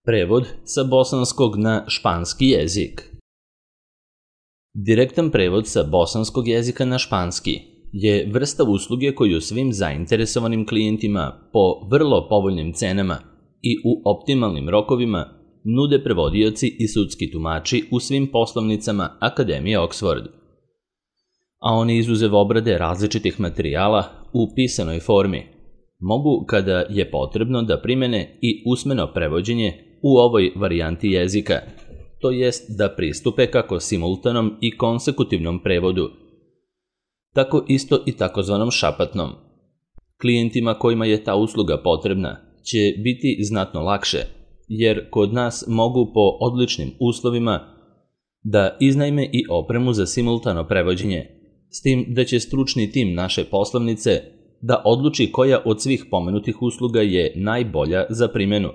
Prevod sa bosanskog na španski jezik. Direktan prevod sa bosanskog jezika na španski je vrsta usluge koju svim zainteresovanim klijentima po vrlo povoljnim cenama i u optimalnim rokovima nude prevodioci i sudski tumači u svim poslovnicama Akademije Oxford. A oni izuzev obrade različitih materijala u pisanoj formi mogu, kada je potrebno, da primene i usmeno prevođenje u ovoj varijanti jezika, to jest da pristupe kako simultanom i konsekutivnom prevodu, tako isto i takozvanom šapatnom. Klijentima kojima je ta usluga potrebna će biti znatno lakše, jer kod nas mogu po odličnim uslovima da iznajme i opremu za simultano prevođenje, s tim da će stručni tim naše poslovnice da odluči koja od svih pomenutih usluga je najbolja za primjenu,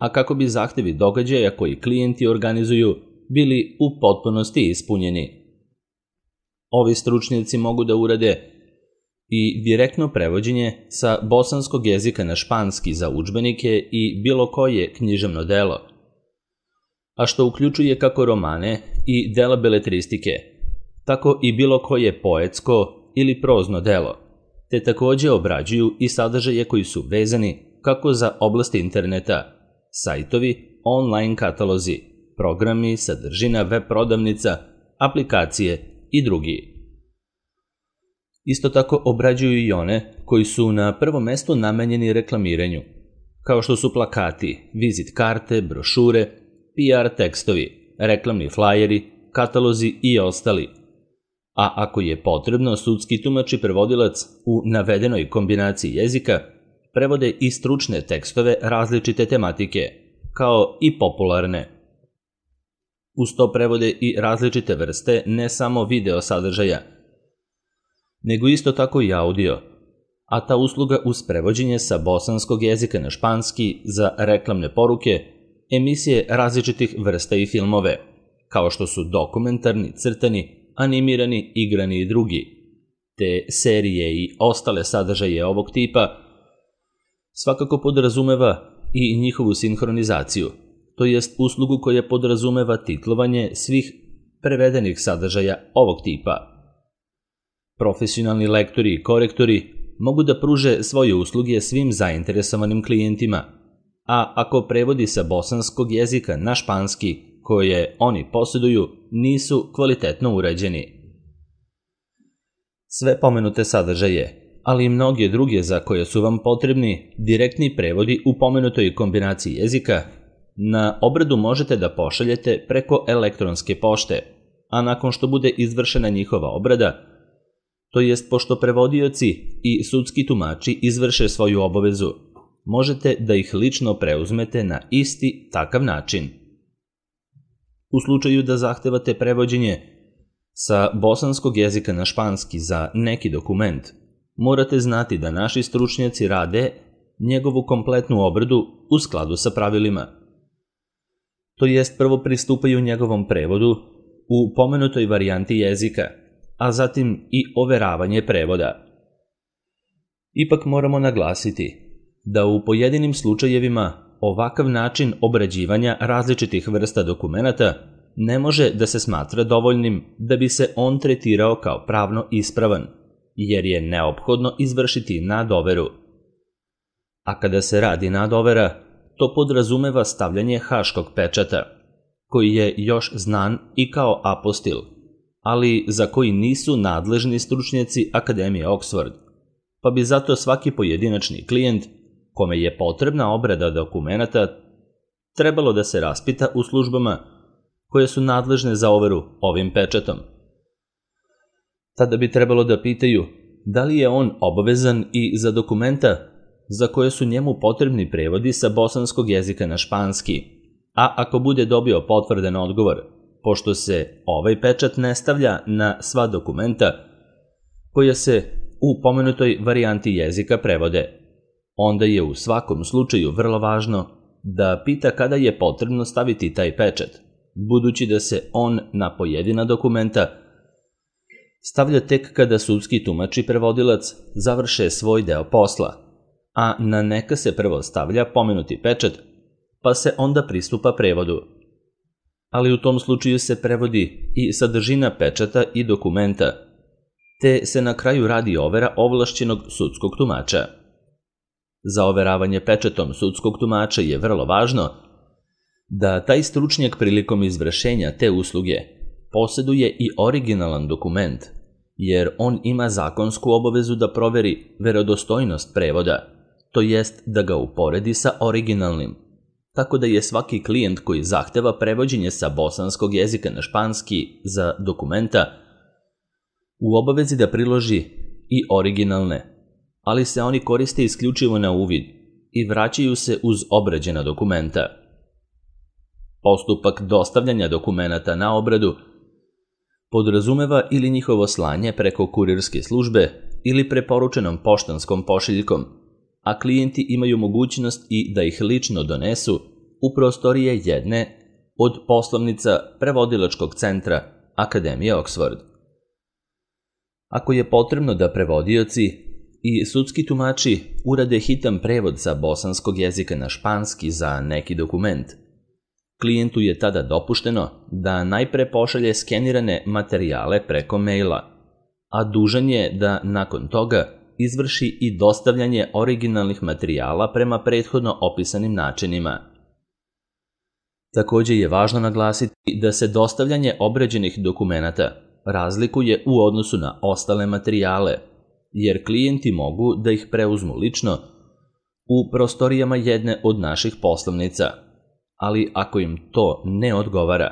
a kako bi zahtevi događaja koji klijenti organizuju bili u potpunosti ispunjeni. Ovi stručnjaci mogu da urade i direktno prevođenje sa bosanskog jezika na španski za udžbenike i bilo koje književno delo, a što uključuje kako romane i dela beletristike, tako i bilo koje poetsko ili prozno delo, te takođe obrađuju i sadržaje koji su vezani kako za oblasti interneta, sajtovi, online katalozi, programi, sadržina, web prodavnica, aplikacije i drugi. Isto tako obrađuju i one koji su na prvom mestu namenjeni reklamiranju, kao što su plakati, vizit karte, brošure, PR tekstovi, reklamni flajeri, katalozi i ostali. A ako je potrebno, sudski tumač i prevodilac u navedenoj kombinaciji jezika prevode i stručne tekstove različite tematike, kao i popularne. Uz to prevode i različite vrste ne samo video sadržaja, nego isto tako i audio, a ta usluga uz prevođenje sa bosanskog jezika na španski za reklamne poruke, emisije različitih vrsta i filmove, kao što su dokumentarni, crtani, animirani, igrani i drugi, te serije i ostale sadržaje ovog tipa, svakako podrazumeva i njihovu sinhronizaciju, to jest uslugu koja podrazumeva titlovanje svih prevedenih sadržaja ovog tipa. Profesionalni lektori i korektori mogu da pruže svoje usluge svim zainteresovanim klijentima, a ako prevodi sa bosanskog jezika na španski koje oni posjeduju nisu kvalitetno urađeni. Sve pomenute sadržaje, ali i mnoge druge za koje su vam potrebni direktni prevodi u pomenutoj kombinaciji jezika, na obradu možete da pošaljete preko elektronske pošte, a nakon što bude izvršena njihova obrada, to jest pošto prevodioci i sudski tumači izvrše svoju obavezu, možete da ih lično preuzmete na isti takav način. U slučaju da zahtevate prevođenje sa bosanskog jezika na španski za neki dokument, morate znati da naši stručnjaci rade njegovu kompletnu obradu u skladu sa pravilima. To jest prvo pristupaju njegovom prevodu u pomenutoj varijanti jezika, a zatim i overavanje prevoda. Ipak moramo naglasiti da u pojedinim slučajevima ovakav način obrađivanja različitih vrsta dokumenata ne može da se smatra dovoljnim da bi se on tretirao kao pravno ispravan, jer je neophodno izvršiti nadoveru. A kada se radi nadovera, to podrazumeva stavljanje haškog pečata, koji je još znan i kao apostil, ali za koji nisu nadležni stručnjaci Akademije Oxford, pa bi zato svaki pojedinačni klijent kome je potrebna obrada dokumenata trebalo da se raspita u službama koje su nadležne za overu ovim pečatom. Tada bi trebalo da pitaju da li je on obavezan i za dokumenta za koje su njemu potrebni prevodi sa bosanskog jezika na španski, a ako bude dobio potvrdan odgovor, pošto se ovaj pečat ne stavlja na sva dokumenta koja se u pomenutoj varijanti jezika prevode, onda je u svakom slučaju vrlo važno da pita kada je potrebno staviti taj pečat, budući da se on na pojedina dokumenta stavlja tek kada sudski tumač i prevodilac završe svoj deo posla, a na neka se prvo stavlja pomenuti pečat pa se onda pristupa prevodu. Ali u tom slučaju se prevodi i sadržina pečata i dokumenta, te se na kraju radi overa ovlašćenog sudskog tumača. Za overavanje pečatom sudskog tumača je vrlo važno da taj stručnjak prilikom izvršenja te usluge posjeduje i originalan dokument, jer on ima zakonsku obavezu da proveri verodostojnost prevoda, to jest da ga uporedi sa originalnim. Tako da je svaki klijent koji zahteva prevođenje sa bosanskog jezika na španski za dokumenta u obavezi da priloži i originalne, ali se oni koriste isključivo na uvid i vraćaju se uz obrađena dokumenta. Postupak dostavljanja dokumenata na obradu podrazumeva ili njihovo slanje preko kurirske službe ili preporučenom poštanskom pošiljkom, a klijenti imaju mogućnost i da ih lično donesu u prostorije jedne od poslovnica prevodilačkog centra Akademije Oxford. Ako je potrebno da prevodioci i sudski tumači urade hitan prevod sa bosanskog jezika na španski za neki dokument, klijentu je tada dopušteno da najpre pošalje skenirane materijale preko maila, a dužan je da nakon toga izvrši i dostavljanje originalnih materijala prema prethodno opisanim načinima. Također je važno naglasiti da se dostavljanje obrađenih dokumenata razlikuje u odnosu na ostale materijale, jer klijenti mogu da ih preuzmu lično u prostorijama jedne od naših poslovnica, ali ako im to ne odgovara,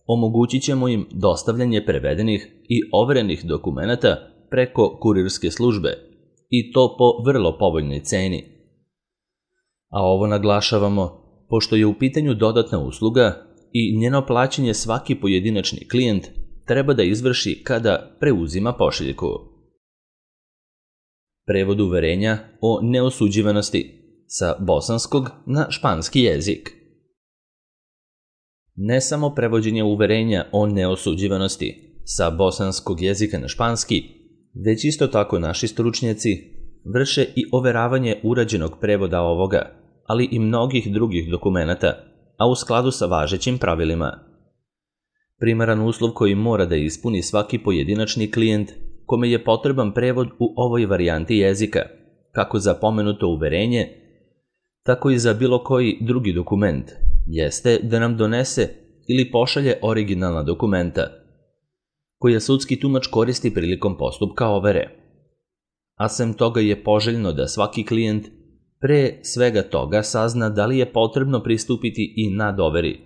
omogućit ćemo im dostavljanje prevedenih i overenih dokumenata preko kurirske službe, i to po vrlo povoljnoj ceni. A ovo naglašavamo pošto je u pitanju dodatna usluga i njeno plaćanje svaki pojedinačni klijent treba da izvrši kada preuzima pošiljku. Prevod uverenja o neosuđivanosti sa bosanskog na španski jezik. Ne samo prevođenje uverenja o neosuđivanosti sa bosanskog jezika na španski, već isto tako naši stručnjaci vrše i overavanje urađenog prevoda ovoga, ali i mnogih drugih dokumenata, a u skladu sa važećim pravilima. Primaran uslov koji mora da ispuni svaki pojedinačni klijent kome je potreban prevod u ovoj varijanti jezika, kako za pomenuto uverenje, tako i za bilo koji drugi dokument, jeste da nam donese ili pošalje originalna dokumenta, koja sudski tumač koristi prilikom postupka overe. A sem toga je poželjno da svaki klijent pre svega toga sazna da li je potrebno pristupiti i nadoveri,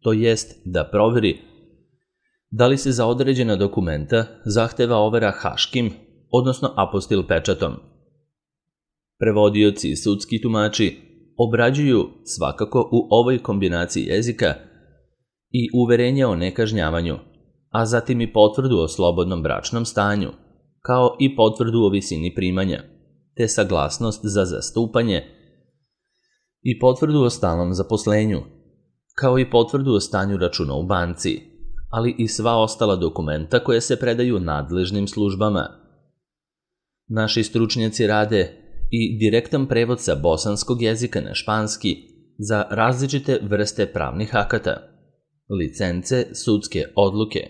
to jest da proveri da li se za određena dokumenta zahteva overa haškim, odnosno apostil pečatom. Prevodioci i sudski tumači obrađuju svakako u ovoj kombinaciji jezika i uverenje o nekažnjavanju, a zatim i potvrdu o slobodnom bračnom stanju, kao i potvrdu o visini primanja, te saglasnost za zastupanje i potvrdu o stalnom zaposlenju, kao i potvrdu o stanju računa u banci, ali i sva ostala dokumenta koje se predaju nadležnim službama. Naši stručnjaci rade i direktan prevod sa bosanskog jezika na španski za različite vrste pravnih akata, licence, sudske odluke,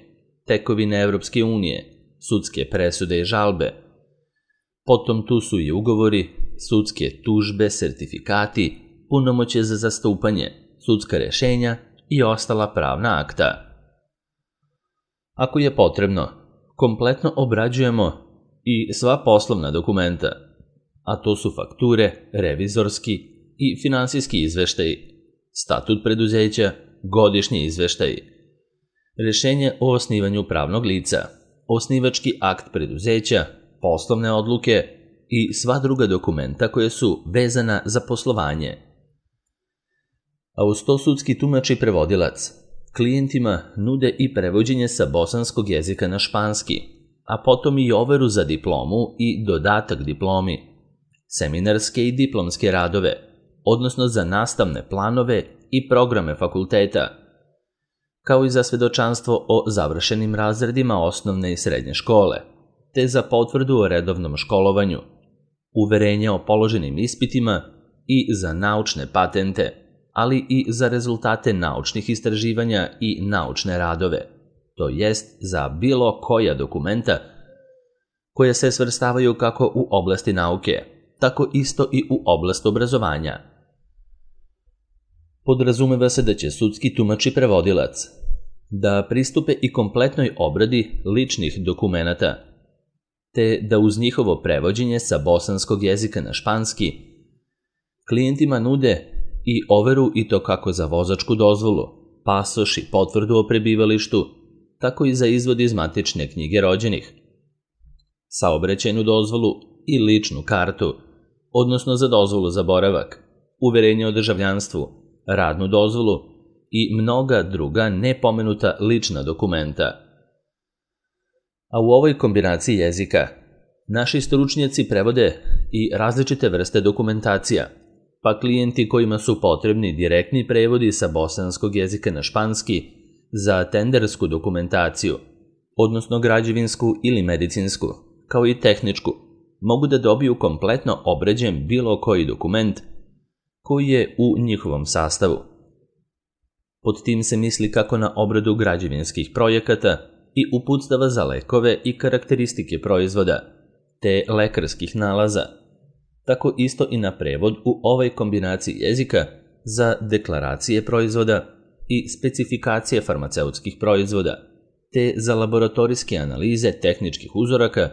tekovine Evropske unije, sudske presude i žalbe. Potom tu su i ugovori, sudske tužbe, sertifikati, punomoćje za zastupanje, sudska rješenja i ostala pravna akta. Ako je potrebno, kompletno obrađujemo i sva poslovna dokumenta, a to su fakture, revizorski i finansijski izveštaji, statut preduzeća, godišnji izveštaji, rješenje o osnivanju pravnog lica, osnivački akt preduzeća, poslovne odluke i sva druga dokumenta koje su vezana za poslovanje. A uz to sudski tumač i prevodilac klijentima nude i prevođenje sa bosanskog jezika na španski, a potom i overu za diplomu i dodatak diplomi, seminarske i diplomske radove, odnosno za nastavne planove i programe fakulteta, kao i za svedočanstvo o završenim razredima osnovne i srednje škole, te za potvrdu o redovnom školovanju, uverenje o položenim ispitima i za naučne patente, ali i za rezultate naučnih istraživanja i naučne radove, to jest za bilo koja dokumenta koje se svrstavaju kako u oblasti nauke, tako isto i u oblast obrazovanja. Podrazumeva se da će sudski tumač i prevodilac da pristupe i kompletnoj obradi ličnih dokumenata, te da uz njihovo prevođenje sa bosanskog jezika na španski klijentima nude i overu i to kako za vozačku dozvolu, pasoš i potvrdu o prebivalištu, tako i za izvod iz matične knjige rođenih, saobraćajnu dozvolu i ličnu kartu, odnosno za dozvolu za boravak, uverenje o državljanstvu, radnu dozvolu i mnoga druga nepomenuta lična dokumenta. A u ovoj kombinaciji jezika naši stručnjaci prevode i različite vrste dokumentacija, pa klijenti kojima su potrebni direktni prevodi sa bosanskog jezika na španski za tendersku dokumentaciju, odnosno građevinsku ili medicinsku, kao i tehničku, mogu da dobiju kompletno obrađen bilo koji dokument koji je u njihovom sastavu. Pod tim se misli kako na obradu građevinskih projekata i uputstava za lekove i karakteristike proizvoda, te lekarskih nalaza, tako isto i na prevod u ovoj kombinaciji jezika za deklaracije proizvoda i specifikacije farmaceutskih proizvoda, te za laboratorijske analize tehničkih uzoraka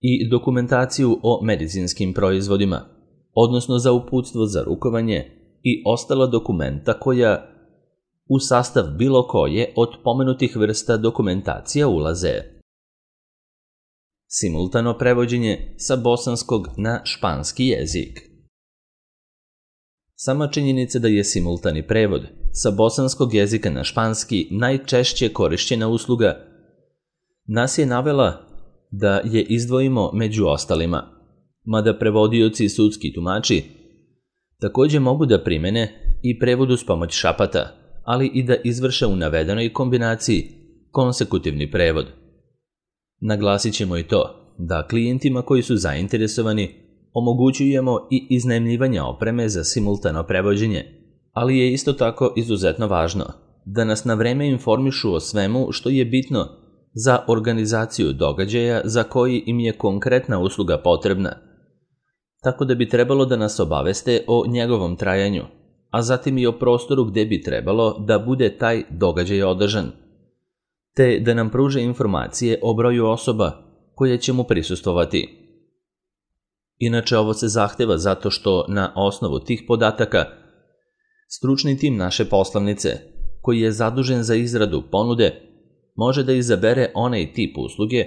i dokumentaciju o medicinskim proizvodima, odnosno za uputstvo za rukovanje i ostala dokumenta koja u sastav bilo koje od pomenutih vrsta dokumentacija ulaze. Simultano prevođenje sa bosanskog na španski jezik. Sama činjenica da je simultani prevod sa bosanskog jezika na španski najčešće korišćena usluga nas je navela da je izdvojimo među ostalima, mada prevodioci i sudski tumači takođe mogu da primene i prevod uz pomoć šapata, ali i da izvrše u navedenoj kombinaciji konsekutivni prevod. Naglasit ćemo i to da klijentima koji su zainteresovani omogućujemo i iznajmljivanje opreme za simultano prevođenje, ali je isto tako izuzetno važno da nas na vreme informišu o svemu što je bitno za organizaciju događaja za koji im je konkretna usluga potrebna, tako da bi trebalo da nas obaveste o njegovom trajanju, a zatim i o prostoru gde bi trebalo da bude taj događaj održan, te da nam pruže informacije o broju osoba koje će mu prisustvovati. Inače, ovo se zahteva zato što na osnovu tih podataka stručni tim naše poslovnice, koji je zadužen za izradu ponude, može da izabere onaj tip usluge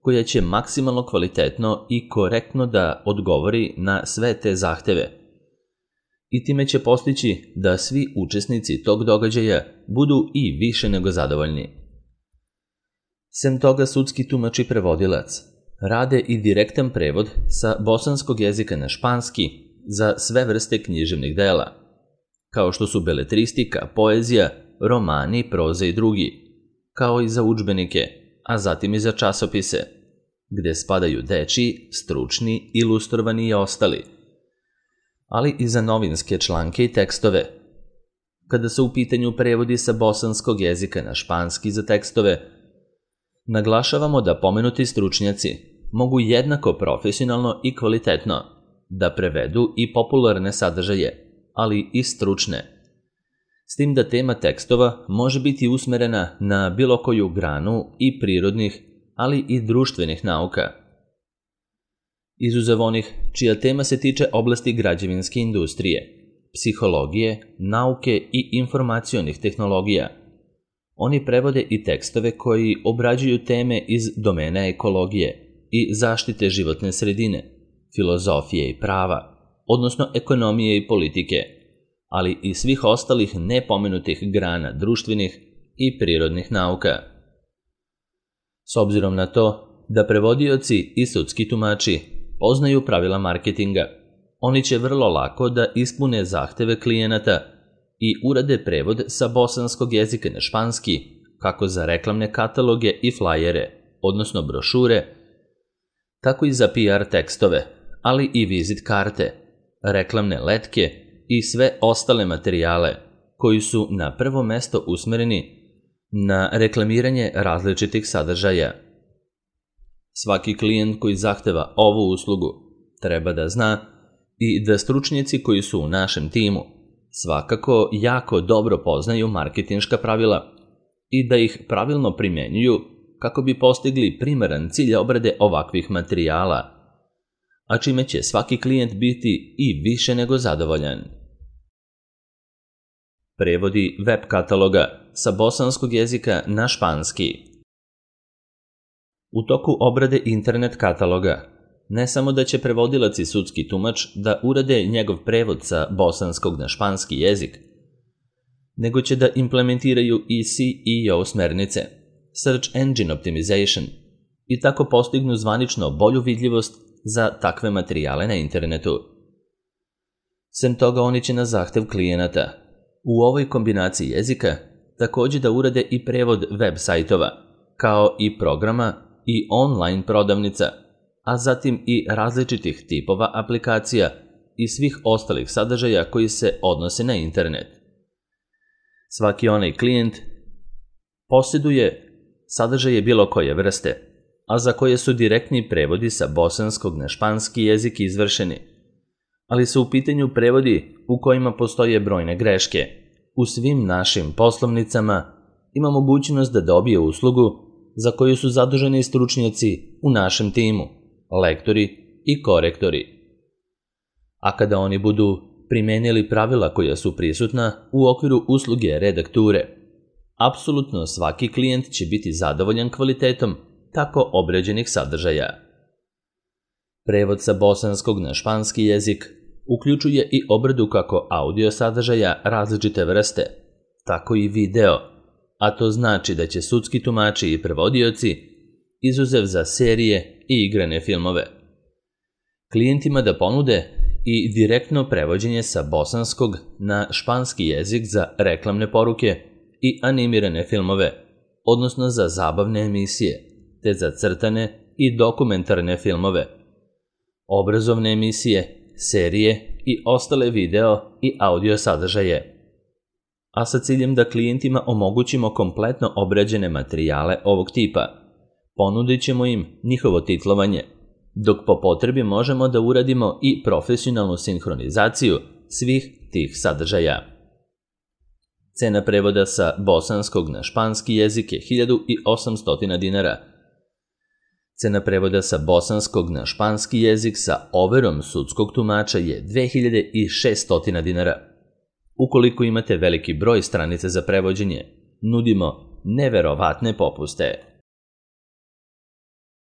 koja će maksimalno kvalitetno i korektno da odgovori na sve te zahteve. I time će postići da svi učesnici tog događaja budu i više nego zadovoljni. Sem toga, sudski tumač i prevodilac rade i direktan prevod sa bosanskog jezika na španski za sve vrste književnih dela, kao što su beletristika, poezija, romani, proza i drugi, kao i za udžbenike, a zatim i za časopise, gde spadaju dečiji, stručni, ilustrovani i ostali, ali i za novinske članke i tekstove. Kada su u pitanju prevodi sa bosanskog jezika na španski za tekstove, naglašavamo da pomenuti stručnjaci mogu jednako profesionalno i kvalitetno da prevedu i popularne sadržaje, ali i stručne, s tim da tema tekstova može biti usmerena na bilo koju granu i prirodnih, ali i društvenih nauka. Izuzev onih čija tema se tiče oblasti građevinske industrije, psihologije, nauke i informacionih tehnologija, oni prevode i tekstove koji obrađuju teme iz domena ekologije i zaštite životne sredine, filozofije i prava, odnosno ekonomije i politike, ali i svih ostalih nepomenutih grana društvenih i prirodnih nauka. S obzirom na to da prevodioci i sudski tumači poznaju pravila marketinga, oni će vrlo lako da ispune zahteve klijenata i urade prevod sa bosanskog jezika na španski, kako za reklamne kataloge i flajere, odnosno brošure, tako i za PR tekstove, ali i vizit karte, reklamne letke i sve ostale materijale koji su na prvo mesto usmereni na reklamiranje različitih sadržaja. Svaki klijent koji zahteva ovu uslugu treba da zna i da stručnjaci koji su u našem timu svakako jako dobro poznaju marketinška pravila i da ih pravilno primenjuju kako bi postigli primeran cilj obrade ovakvih materijala, a čime će svaki klijent biti i više nego zadovoljan. Prevodi web kataloga sa bosanskog jezika na španski. U toku obrade internet kataloga, ne samo da će prevodilac i sudski tumač da urade njegov prevod sa bosanskog na španski jezik, nego će da implementiraju i SEO smernice, Search Engine Optimization, i tako postignu zvanično bolju vidljivost za takve materijale na internetu. Sem toga, oni će na zahtev klijenata u ovoj kombinaciji jezika također da urade i prevod web sajtova, kao i programa i online prodavnica, a zatim i različitih tipova aplikacija i svih ostalih sadržaja koji se odnose na internet. Svaki onaj klijent posjeduje sadržaje bilo koje vrste, a za koje su direktni prevodi sa bosanskog na španski jezik izvršeni, ali su u pitanju prevodi u kojima postoje brojne greške. U svim našim poslovnicama ima mogućnost da dobije uslugu za koju su zaduženi stručnjaci u našem timu, lektori i korektori. A kada oni budu primenili pravila koja su prisutna u okviru usluge redakture, apsolutno svaki klijent će biti zadovoljan kvalitetom tako obrađenih sadržaja. Prevod sa bosanskog na španski jezik uključuje i obradu kako audio sadržaja različite vrste, tako i video, a to znači da će sudski tumači i prevodioci, izuzev za serije i igrane filmove, klijentima da ponude i direktno prevođenje sa bosanskog na španski jezik za reklamne poruke i animirane filmove, odnosno za zabavne emisije, te za crtane i dokumentarne filmove, obrazovne emisije, serije i ostale video i audio sadržaje, a sa ciljem da klijentima omogućimo kompletno obrađene materijale ovog tipa. Ponudit ćemo im njihovo titlovanje, dok po potrebi možemo da uradimo i profesionalnu sinhronizaciju svih tih sadržaja. Cena prevoda sa bosanskog na španski jezik je 1800 dinara. Cena prevoda sa bosanskog na španski jezik sa overom sudskog tumača je 2600 dinara. Ukoliko imate veliki broj stranica za prevođenje, nudimo neverovatne popuste.